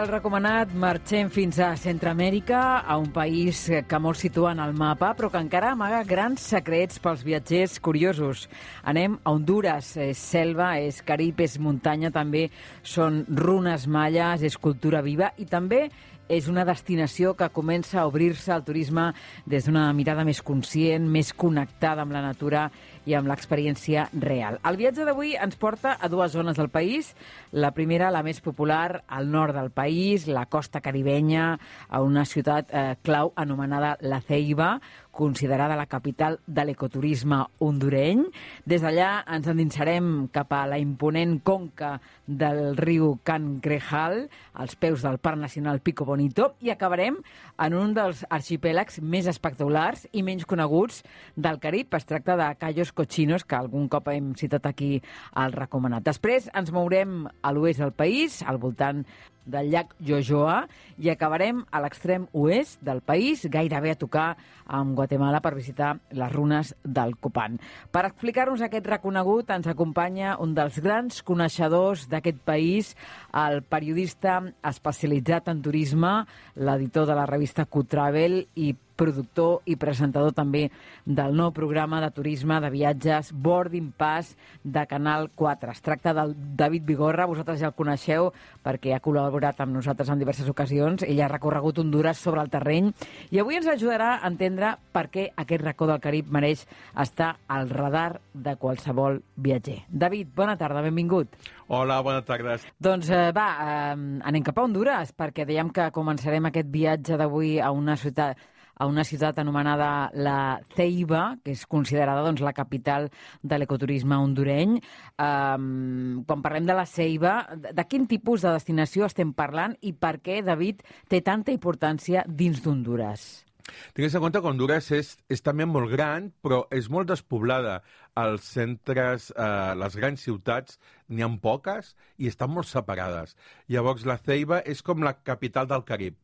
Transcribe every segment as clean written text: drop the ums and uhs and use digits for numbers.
el recomanat, marxem fins a Centroamèrica, a un país que molts situen al mapa, però que encara amaga grans secrets pels viatgers curiosos. Anem a Hondures, és selva, és Carib, és muntanya, també són runes maies, és cultura viva i també és una destinació que comença a obrir-se al turisme des d'una mirada més conscient, més connectada amb la natura i amb l'experiència real. El viatge d'avui ens porta a dues zones del país. La primera, la més popular, al nord del país, la costa caribenya, a una ciutat clau anomenada La Ceiba, considerada la capital de l'ecoturisme hondureny. Des d'allà ens endinsarem cap a la imponent conca del riu Cangrejal, als peus del Parc Nacional Pico Bonito, i acabarem en un dels arxipèlags més espectaculars i menys coneguts del Carib. Es tracta de Cayos Cochinos, que algun cop hem citat aquí al recomanat. Després ens mourem a l'oest del país, al voltant del llac Yoyoa, i acabarem a l'extrem oest del país, gairebé a tocar amb Guatemala per visitar les runes del Copan. Per explicar-nos aquest reconegut ens acompanya un dels grans coneixedors d'aquest país, el periodista especialitzat en turisme, l'editor de la revista Q-Travel i productor i presentador també del nou programa de turisme de viatges Boarding Pass de Canal 4. Es tracta del David Vigorra, vosaltres ja el coneixeu perquè ha col·laborat amb nosaltres en diverses ocasions. Ell ha recorregut Hondures sobre el terreny i avui ens ajudarà a entendre per què aquest racó del Carib mereix estar al radar de qualsevol viatger. David, bona tarda, benvingut. Hola, bona tarda. Doncs anem cap a Hondures, perquè dèiem que començarem aquest viatge d'avui a una ciutat anomenada La Ceiba, que és considerada doncs, la capital de l'ecoturisme hondureny. Quan parlem de La Ceiba, de quin tipus de destinació estem parlant i per què, David, té tanta importància dins d'Hondures? Tingues en compte que Hondures és també molt gran, però és molt despoblada. Els centres, les grans ciutats, n'hi ha poques i estan molt separades. Llavors, La Ceiba és com la capital del Carib.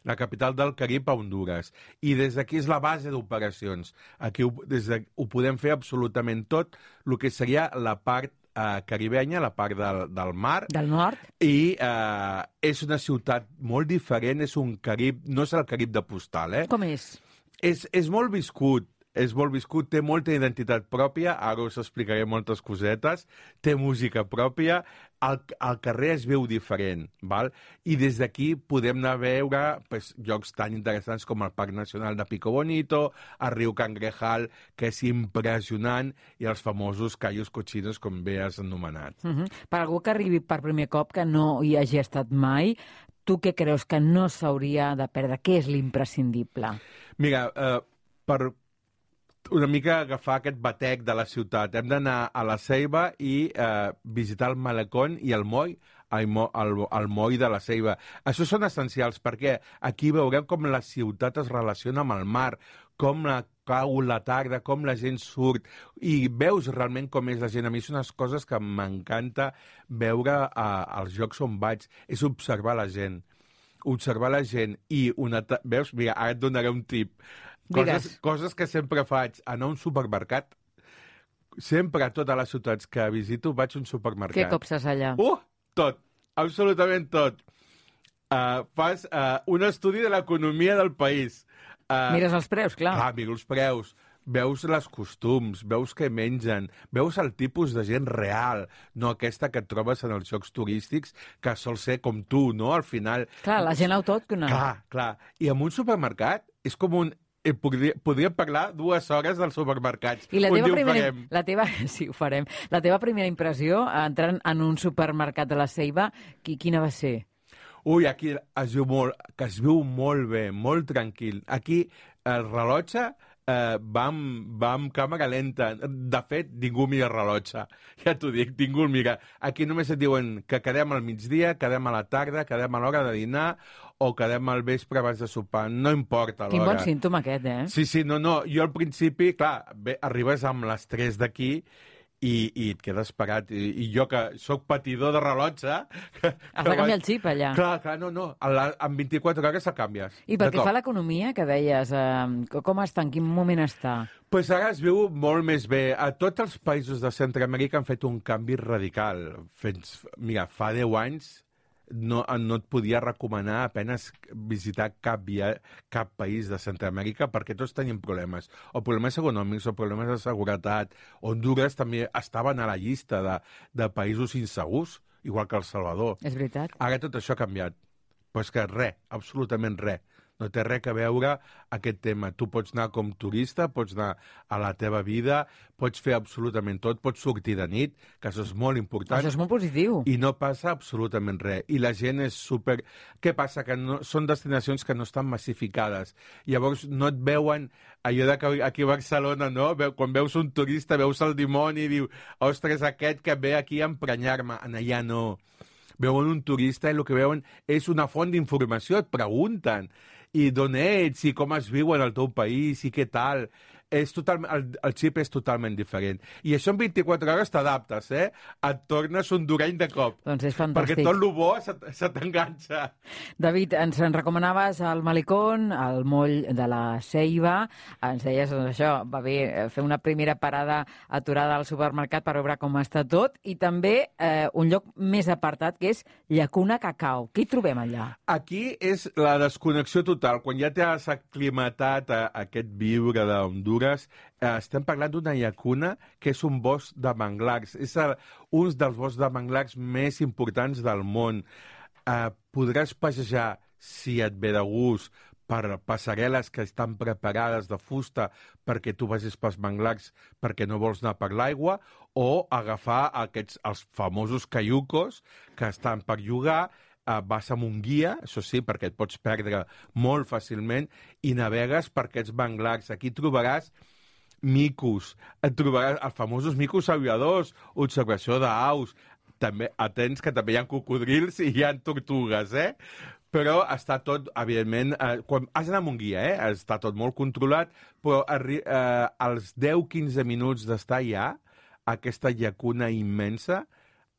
La capital del Carib a Hondures. I des d'aquí és la base d'operacions. Aquí ho podem fer absolutament tot, el que seria la part caribenya, la part del mar. Del nord. I és una ciutat molt diferent, és un Carib, no és el Carib de postal, Com és? És molt viscut. És molt viscut, té molta identitat pròpia, ara us explicaré moltes cosetes, té música pròpia, al carrer es veu diferent, val? I des d'aquí podem anar a veure llocs tan interessants com el Parc Nacional de Pico Bonito, el riu Cangrejal, que és impressionant, i els famosos Cayos Cochinos, com bé has anomenat. Per algú que arribi per primer cop, que no hi hagi estat mai, tu què creus que no s'hauria de perdre? Què és l'imprescindible? Mira, per una mica agafar aquest batec de la ciutat. Hem d'anar a La Ceiba i visitar el malecón i el moll, el moll de La Ceiba. Això són essencials perquè aquí veurem com la ciutat es relaciona amb el mar, com cau la tarda, com la gent surt, i veus realment com és la gent. A mi són unes coses que m'encanta veure als llocs on vaig, és observar la gent. Observar la gent i veus? Mira, ara et donaré un tip. Coses que sempre faig, anar a un supermercat. Sempre a totes les ciutats que visito vaig a un supermercat. Què copses allà? Tot, absolutament tot. Fas un estudi de l'economia del país. Mires els preus, clar. Miro els preus. Veus els costums, veus què mengen, veus el tipus de gent real, no aquesta que et trobes en els llocs turístics, que sol ser com tu, no? Al final... Clar, la gent autòctona. Clar. I en un supermercat és com un... Podríem parlar 2 hores dels supermercats. I sí, ho farem. La teva primera impressió, entrant en un supermercat de La Ceiba, quina va ser? Aquí es veu molt bé, molt tranquil. Aquí el rellotge va amb càmera lenta. De fet, ningú mira el rellotge. Ja t'ho dic, ningú el mira. Aquí només et diuen que quedem al migdia, quedem a la tarda, quedem a l'hora de dinar o quedem al vespre abans de sopar. No importa l'hora. Quin bon símptoma aquest, Sí, no. Jo al principi, clar, arribes amb les 3 d'aquí i et quedes parat. I jo, que sóc patidor de rellotge... Has de canviar el xip, allà. Clar, no. En 24 hores el canvies. I pel que fa a l'economia, que deies, com està, en quin moment està? Pues ara es veu molt més bé. A tots els països de Centroamèrica han fet un canvi radical. Mira, fa 10 anys no et podia recomanar apenas visitar cap país de Centroamèrica perquè tots tenien problemes, o problemes econòmics o problemes de seguretat. Honduras també estaven a la llista de països insegurs, igual que El Salvador. És veritat. Ara tot això ha canviat. Però és que res, absolutament res. No té res a veure aquest tema. Tu pots anar com turista, pots anar a la teva vida, pots fer absolutament tot, pots sortir de nit, que això és molt important. Això és molt positiu. I no passa absolutament res. I la gent és super... Què passa? Que no, són destinacions que no estan massificades. Llavors no et veuen allò de que aquí a Barcelona, no? Quan veus un turista, veus el dimoni i diu, ostres, aquest que ve aquí a emprenyar-me. Allà no. Veuen un turista i el que veuen és una font d'informació, et pregunten i d'on ets, i com es viu en el teu país, i què tal. El xip és totalment diferent. I això en 24 hores t'adaptes, eh? Et tornes hondureny de cop. Doncs és fantàstic. Perquè tot el bo se t'enganxa. David, ens en recomanaves el Malecón, el moll de la Ceiba. Ens deies, doncs això, va bé fer una primera parada aturada al supermercat per veure com està tot, i també un lloc més apartat, que és Llacuna Cacao. Què hi trobem allà? Aquí és la desconnexió total. Quan ja t'has aclimatat a aquest viure d'Hondures, estem parlant d'una llacuna que és un bosc de manglars. És un dels boscs de manglars més importants del món. Podràs passejar, si et ve de gust, per passarel·les que estan preparades de fusta perquè tu vagis pels manglars perquè no vols anar per l'aigua, o agafar els famosos caiucos que estan per llogar. Vas amb un guia, això sí, perquè et pots perdre molt fàcilment, i navegues per aquests manglars. Aquí trobaràs micos, et trobaràs els famosos micos aviadors, observació d'aus, també atents que també hi ha cocodrils i hi ha tortugues, eh? Però està tot, evidentment, quan has d'anar amb un guia, està tot molt controlat, però als 10-15 minuts d'estar allà, aquesta llacuna immensa,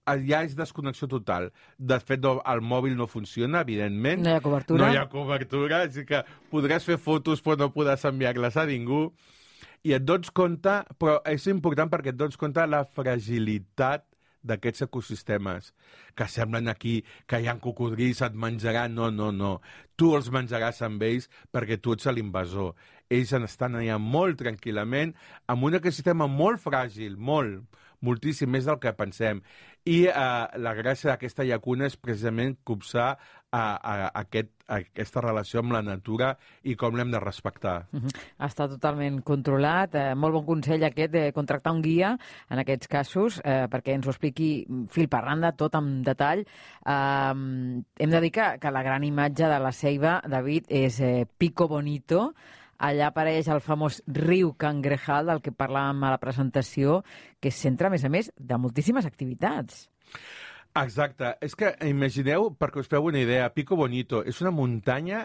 ja és desconnexió total. De fet, el mòbil no funciona, evidentment. No hi ha cobertura. No hi ha cobertura, així que podràs fer fotos però no podràs enviar-les a ningú. I et dones compte, però és important perquè et dones compte de la fragilitat d'aquests ecosistemes, que semblen aquí que hi ha cocodrils, et menjaran. No, no, no. Tu els menjaràs amb ells perquè tu ets l'invasor. Ells estan allà molt tranquil·lament, amb un ecosistema molt fràgil, moltíssim més del que pensem. I la gràcia d'aquesta llacuna és precisament copsar aquesta relació amb la natura i com l'hem de respectar. Està totalment controlat. Molt bon consell aquest de contractar un guia en aquests casos perquè ens ho expliqui fil per randa, tot amb detall. Hem de dir que la gran imatge de la Ceiba, David, és Pico Bonito. Allà apareix el famós riu Cangrejal, del que parlàvem a la presentació, que és centre, a més, de moltíssimes activitats. Exacte. És que imagineu, perquè us feu una idea, Pico Bonito és una muntanya,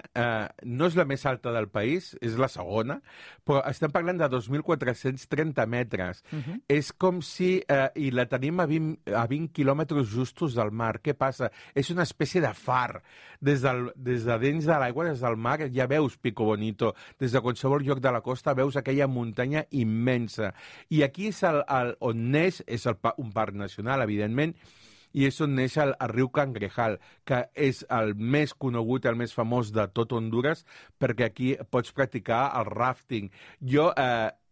no és la més alta del país, és la segona, però estem parlant de 2.430 metres. És com si... I la tenim a 20 quilòmetres justos del mar. Què passa? És una espècie de far. Des de dins de l'aigua, des del mar, ja veus Pico Bonito. Des de qualsevol lloc de la costa veus aquella muntanya immensa. I aquí és on neix, és un parc nacional, evidentment, i és on neix el riu Cangrejal, que és el més conegut, el més famós de tot Hondures, perquè aquí pots practicar el rafting. Jo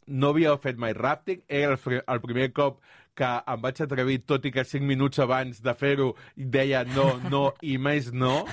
no havia fet mai rafting, era el primer cop que em vaig atrevir, tot i que 5 minuts abans de fer-ho deia no i més no.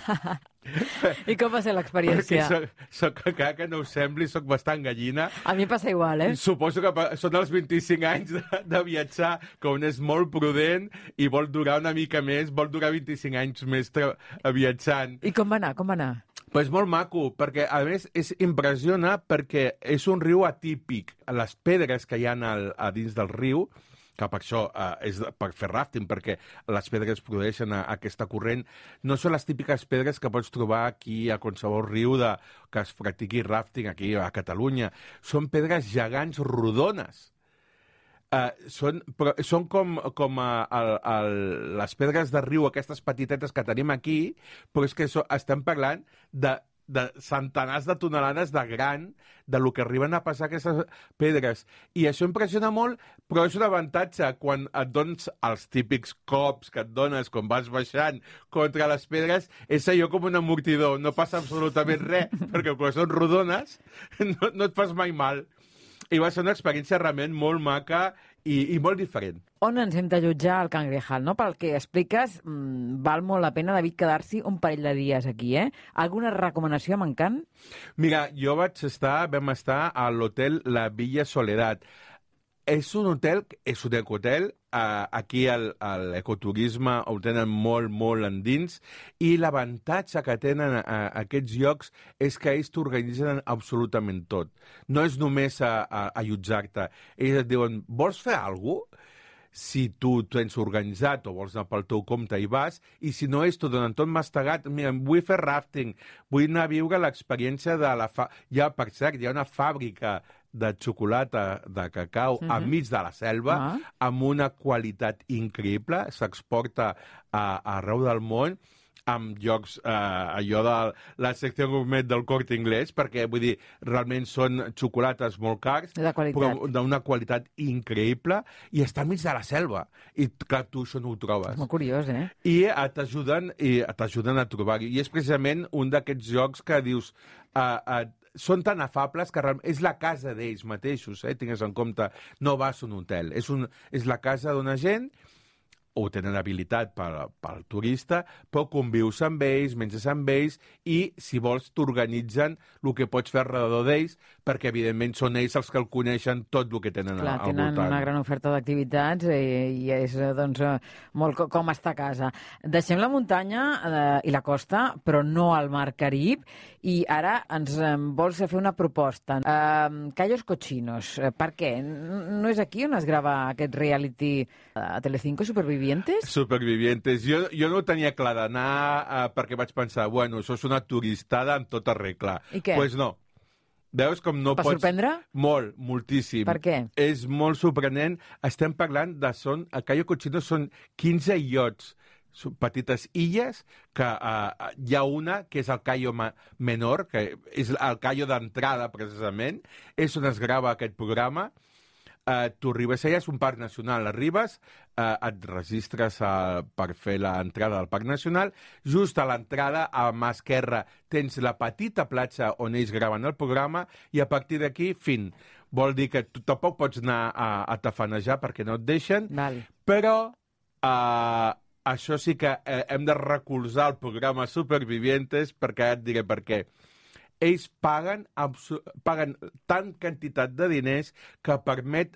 I com va ser l'experiència? Perquè encara que no us sembli, soc bastant gallina. A mi passa igual, eh? Suposo que són els 25 anys de viatjar, que un és molt prudent i vol durar una mica més, vol durar 25 anys més viatjant. I com va anar? Pues molt maco, perquè a més impressiona perquè és un riu atípic. Les pedres que hi ha a dins del riu, que per això és per fer rafting, perquè les pedres produeixen aquesta corrent, no són les típiques pedres que pots trobar aquí a qualsevol riu que es practiqui rafting aquí a Catalunya. Són pedres gegants rodones. Són com les pedres de riu, aquestes petitetes que tenim aquí, però és que estem parlant de de centenars de tonelades de gran de lo que arriben a passar aquestes pedres. I això impressiona molt, però és un avantatge quan et dones els típics cops que et dones quan vas baixant contra les pedres, és allò com un amortidor, no passa absolutament res, perquè quan són rodones no et fas mai mal. I va ser una experiència realment molt maca i molt diferent. On ens hem d'allotjar al Cangrejal, no? Pel que expliques, val molt la pena, David, quedar-s'hi un parell de dies aquí, eh? Alguna recomanació a Mancant? Mira, vam estar a l'hotel La Villa Soledad. És un ecohotel, aquí a l'ecoturisme ho tenen molt, molt endins, i l'avantatge que tenen aquests llocs és que ells t'organitzen absolutament tot. No és només allotjar-te. Ells et diuen, vols fer alguna cosa? Si tu tens organitzat o vols anar pel teu compte i vas, i si no és, t'ho donen tot mastegat. Mira, vull fer rafting, vull anar a viure l'experiència de per cert, hi ha una fàbrica de xocolata de cacau enmig de la selva, amb una qualitat increïble, s'exporta arreu del món, amb llocs, allò de la secció gourmet del Corte Inglés, perquè, vull dir, realment són xocolates molt cars, però d'una qualitat increïble, i està enmig de la selva. I, clar, tu això no ho trobes. És molt curiós, eh? I t'ajuden a trobar-hi. I és precisament un d'aquests llocs que dius... són tan afables que és la casa d'ells mateixos, tingues en compte. No vas a un hotel, és la casa d'una gent, ho tenen habilitat pel turista, però convius amb ells, menges amb ells, i, si vols, t'organitzen el que pots fer alrededor d'ells, perquè, evidentment, són ells els que el coneixen tot el que tenen al voltant. Tenen una gran oferta d'activitats i és, doncs, molt com estar a casa. Deixem la muntanya i la costa, però no al mar Carib, i ara ens vols fer una proposta. Cayos Cochinos, per què? No és aquí on es grava aquest reality a Telecinco, Supervivientes? Supervivientes. Jo no ho tenia clar d'anar perquè vaig pensar, bueno, això és una turistada amb tota regla. I què? Pues no. Veus com no pots... Va sorprendre? Molt, moltíssim. Per què? És molt sorprenent. Estem parlant de... A Cayo Cochino són 15 illots, petites illes, que hi ha una que és el Cayo Menor, que és el Cayo d'entrada, precisament. És on es grava aquest programa. Tu arribes allà, és un parc nacional, arribes, et registres per fer l'entrada del parc nacional, just a l'entrada, a mà esquerra, tens la petita platja on ells graven el programa, i a partir d'aquí, fin. Vol dir que tu tampoc pots anar a tafanejar perquè no et deixen, però això sí que hem de recolzar el programa Supervivientes, perquè et diré per què. Ells paguen tant quantitat de diners que permet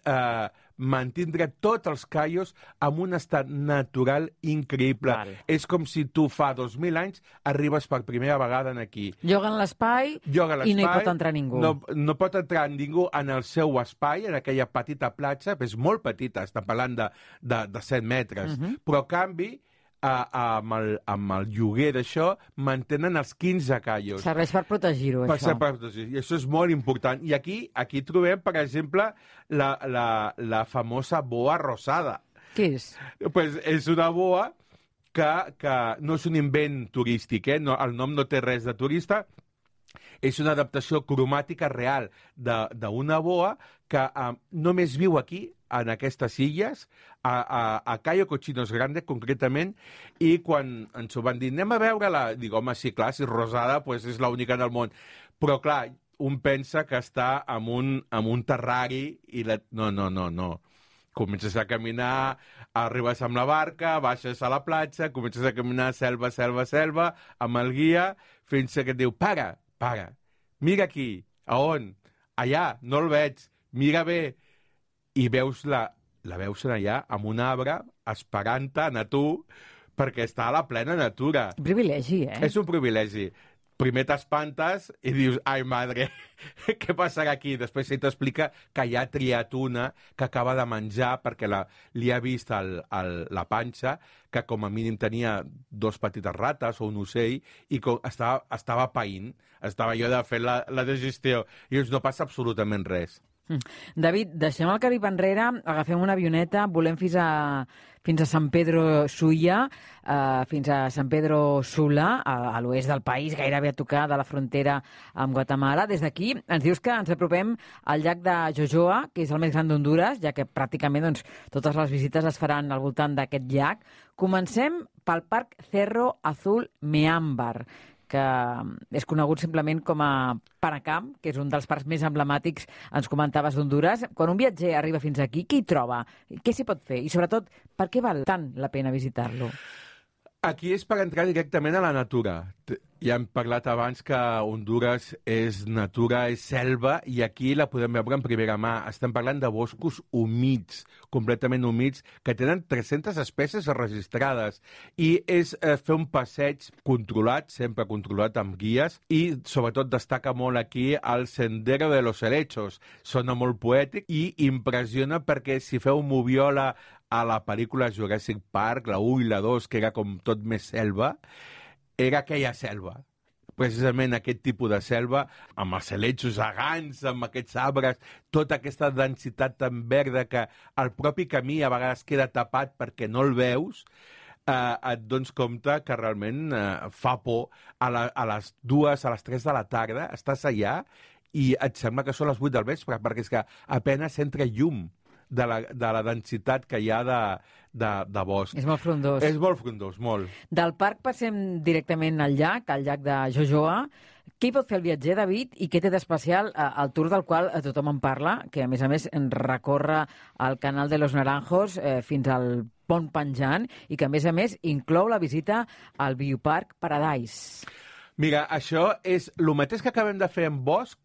mantindre tots els caios en un estat natural increïble. És com si tu fa 2.000 anys arribes per primera vegada aquí. Lloguen l'espai i no hi pot entrar ningú. No pot entrar ningú en el seu espai, en aquella petita platja, és molt petita, està parlant de 7 metres, però a canvi amb el lloguer d'això mantenen els 15 caios. Serveix per protegir-ho, això. Per protegir. I això és molt important. I aquí trobem, per exemple, la famosa boa rosada. Què és? Pues és una boa que no és un invent turístic, el nom no té res de turista, és una adaptació cromàtica real d'una boa que només viu aquí, en aquestes illes, a Cayo Cochinos Grande, concretament, i quan ens ho van dir, anem a veure-la, dic, home, sí, clar, si és rosada, pues és l'única del món. Però, clar, un pensa que està en un terrari i no. Comences a caminar, arribes amb la barca, baixes a la platja, comences a caminar selva, amb el guia, fins que et diu, para, mira aquí. A on? Allà, no el veig, mira bé. I veus la veus allà amb un arbre esperant-te a tu perquè està a la plena natura. Un privilegi, eh? És un privilegi. Primer t'espantes i dius, ai, madre, què passarà aquí? Després ell t'explica que hi ha triat una que acaba de menjar perquè li ha vist la panxa, que com a mínim tenia 2 petites rates o un ocell i estava païnt, estava allò de fer la digestió. I dius, no passa absolutament res. David, deixem el Carib enrere, agafem una avioneta, volem fins a San Pedro Sula, fins a San Pedro Sula, a l'oest del país, gairebé a tocar de la frontera amb Guatemala. Des d'aquí ens dius que ens apropem al llac de Jojoa, que és el més gran d'Hondures, ja que pràcticament totes les visites es faran al voltant d'aquest llac. Comencem pel Parc Cerro Azul Meámbar, que és conegut simplement com a Panacam, que és un dels parcs més emblemàtics, ens comentaves, d'Hondures. Quan un viatger arriba fins aquí, què hi troba? Què s'hi pot fer? I, sobretot, per què val tant la pena visitar-lo? Aquí és per entrar directament a la natura. Ja hem parlat abans que Hondures és natura, és selva, i aquí la podem veure en primera mà. Estem parlant de boscos humits, completament humits, que tenen 300 espècies registrades. I és fer un passeig controlat, sempre controlat amb guies, i sobretot destaca molt aquí el Sendero de los Helechos. Sona molt poètic i impressiona perquè si feu moviola a la pel·lícula Jurassic Park, la 1 i la 2, que era com tot més selva, era aquella selva. Precisament aquest tipus de selva, amb els helechos gegants, amb aquests arbres, tota aquesta densitat tan verda que el propi camí a vegades queda tapat perquè no el veus, et dones compte que realment fa por. A les 2, a les 3 de la tarda estàs allà i et sembla que són les 8 del vespre, perquè és que apenas entra llum de la densitat que hi ha de bosc. És molt frondós. És molt frondós, molt. Del parc passem directament al llac de Jojoa. Què hi pot fer el viatger, David, i què té d'especial el tour del qual tothom en parla, que a més recorre el canal de los Naranjos fins al pont penjant i que a més inclou la visita al Bioparc Paradise? Mira, això és el mateix que acabem de fer en bosc,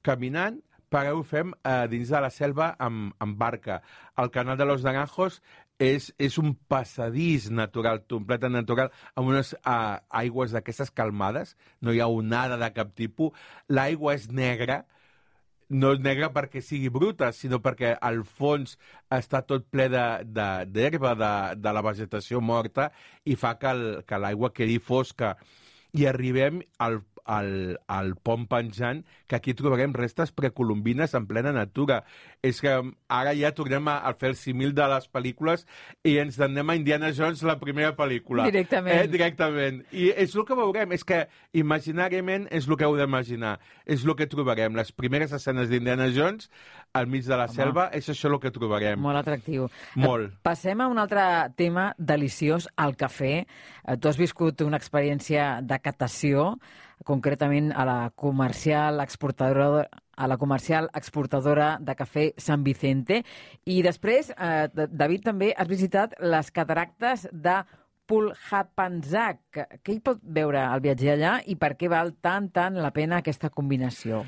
caminant, però ho fem dins de la selva amb barca. El canal de los Naranjos és un passadís natural, completament natural, amb unes aigües d'aquestes calmades, no hi ha onada de cap tipus. L'aigua és negra, no és negra perquè sigui bruta, sinó perquè al fons està tot ple d'herba, de la vegetació morta, i fa que l'aigua quedi fosca. I arribem al pont penjant, que aquí trobarem restes precolombines en plena natura. És que ara ja tornem a fer el símil de les pel·lícules i ens anem a Indiana Jones, la primera pel·lícula. Directament. Directament. I és el que veurem, és que imaginàriament és el que heu d'imaginar. És el que trobarem. Les primeres escenes d'Indiana Jones, al mig de la selva, és això el que trobarem. Molt atractiu. Molt. Passem a un altre tema deliciós, el cafè. Tu has viscut una experiència de catació, concretament a la comercial exportadora de cafè San Vicente. I després, David, també has visitat les cataractes de Pulhapanzak. Què hi pot veure el viatger allà i per què val tant la pena aquesta combinació?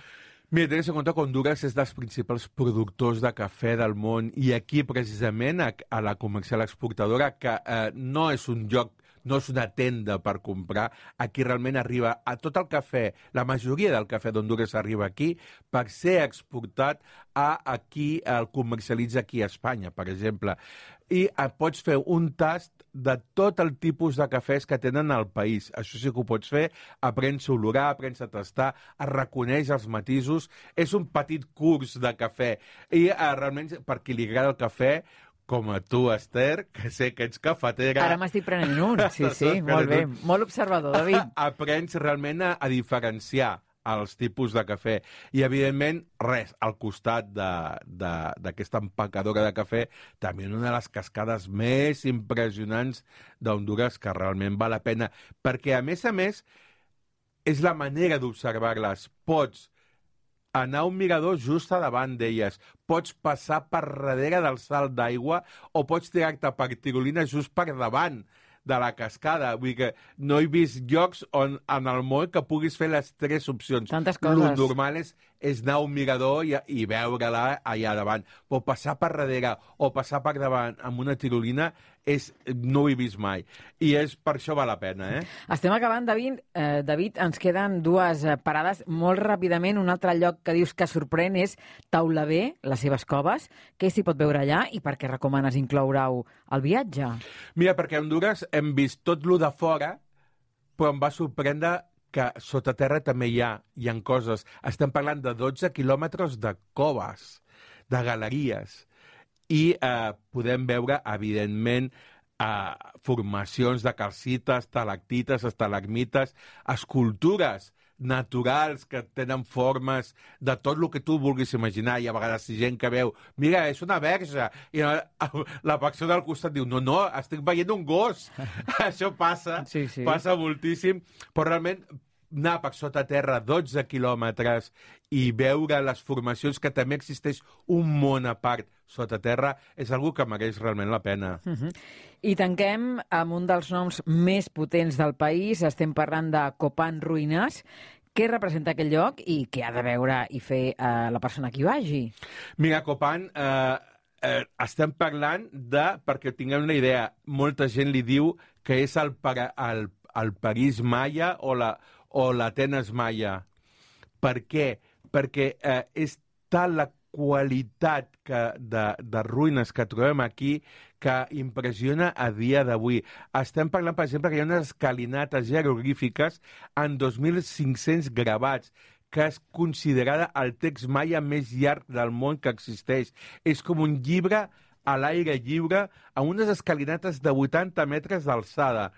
Mira, tens en compte que Hondures és dels principals productors de cafè del món, i aquí, precisament, a la comercial exportadora, que no és un lloc, no és una tenda per comprar, aquí realment arriba a tot el cafè, la majoria del cafè d'Hondures arriba aquí per ser exportat aquí, el comercialitza aquí a Espanya, per exemple. I pots fer un tast de tot el tipus de cafès que tenen al país. Això sí que ho pots fer, aprens a olorar, aprens a tastar, reconeix els matisos. És un petit curs de cafè. I realment, per qui li agrada el cafè, com a tu, Esther, que sé que ets cafetera... Ara m'estic prenent un, sí, molt bé. Molt observador, David. Aprens realment a diferenciar els tipus de cafè. I, evidentment, res, al costat d'aquesta empacadora de cafè, també una de les cascades més impressionants d'Hondures, que realment val la pena, perquè, a més, és la manera d'observar-les. Pots anar a un mirador just a davant d'elles, pots passar per darrere del salt d'aigua o pots tirar-te per tirolina just per davant de la cascada. Vull dir que no he vist llocs on en el món que puguis fer les tres opcions. Tantes coses. El normal és anar a un mirador i veure-la allà davant. Però passar per darrere o passar per davant amb una tirolina no ho he vist mai. I per això val la pena, Estem acabant, David, ens queden dues parades molt ràpidament. Un altre lloc que dius que sorprèn és Taulavé, les seves coves. Què s'hi pot veure allà i per què recomanes incloure-ho al viatge? Mira, perquè a Hondures hem vist tot lo de fora, però em va sorprendre que sota terra també hi ha coses. Estem parlant de 12 quilòmetres de coves. de galeries. I podem veure, evidentment, formacions de calcites, estalactites, estalagmites, escultures naturals que tenen formes de tot el que tu vulguis imaginar. I a vegades hi ha gent que veu, mira, és una verge, i la persona al costat diu, no, estic veient un gos. Això passa, sí. Passa moltíssim, però realment anar per sota terra 12 quilòmetres i veure les formacions, que també existeix un món a part sota terra, és algo que mereix realment la pena. I tanquem amb un dels noms més potents del país. Estem parlant de Copan Ruïnes. Què representa aquell lloc i què ha de veure i fer la persona que hi vagi? Mira, Copan, estem parlant de, perquè tinguem una idea, molta gent li diu que és el París maia o l'Atenes maia. Per què? Perquè és tal la qualitat de ruïnes que trobem aquí que impressiona a dia d'avui. Estem parlant, per exemple, que hi ha unes escalinates jeroglífiques en 2.500 gravats, que és considerada el text maia més llarg del món que existeix. És com un llibre a l'aire lliure, amb unes escalinates de 80 metres d'alçada.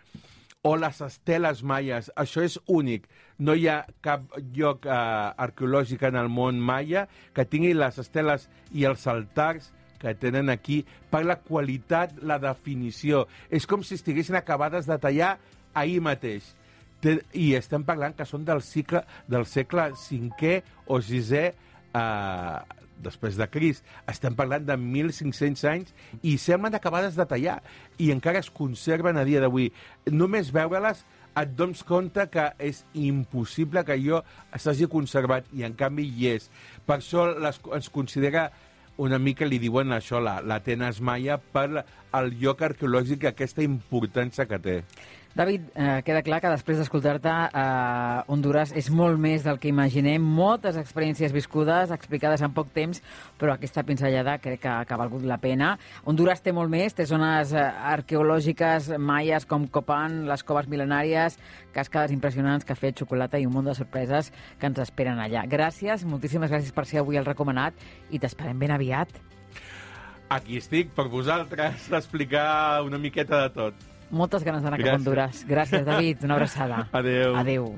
O les esteles maies, això és únic. No hi ha cap lloc arqueològic en el món maia que tingui les esteles i els altars que tenen aquí per la qualitat, la definició. És com si estiguessin acabades de tallar ahir mateix. I estem parlant que són del segle V o VI després de Crist. Estem parlant de 1.500 anys i semblen acabades de tallar i encara es conserven a dia d'avui. Només veure-les et dones compte que és impossible que allò s'hagi conservat i en canvi hi és. Per això es considera una mica, li diuen això, l'Atenes maia, per el lloc arqueològic, aquesta importància que té. David, queda clar que després d'escoltar-te, Hondures és molt més del que imaginem, moltes experiències viscudes, explicades en poc temps, però aquesta pinzellada crec que ha valgut la pena. Hondures té molt més, té zones arqueològiques maies com Copan, les coves mil·lenàries, cascades impressionants, cafè, xocolata i un munt de sorpreses que ens esperen allà. Gràcies, moltíssimes gràcies per ser avui el recomanat i t'esperem ben aviat. Aquí estic per vosaltres a explicar una miqueta de tot. Moltes ganes d'anar cap a Hondures. Gràcies, David. Una abraçada. Adéu. Adéu.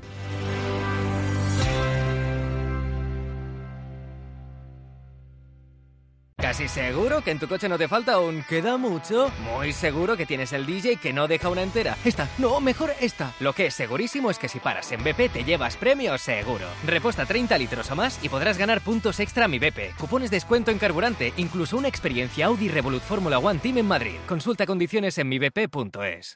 ¿Casi seguro que en tu coche no te falta un queda mucho? Muy seguro que tienes el DJ que no deja una entera. Esta, no, mejor esta. Lo que es segurísimo es que si paras en BP te llevas premio seguro. Reposta 30 litros o más y podrás ganar puntos extra a Mi BP, cupones de descuento en carburante, incluso una experiencia Audi Revolut Fórmula One Team en Madrid. Consulta condiciones en mibp.es.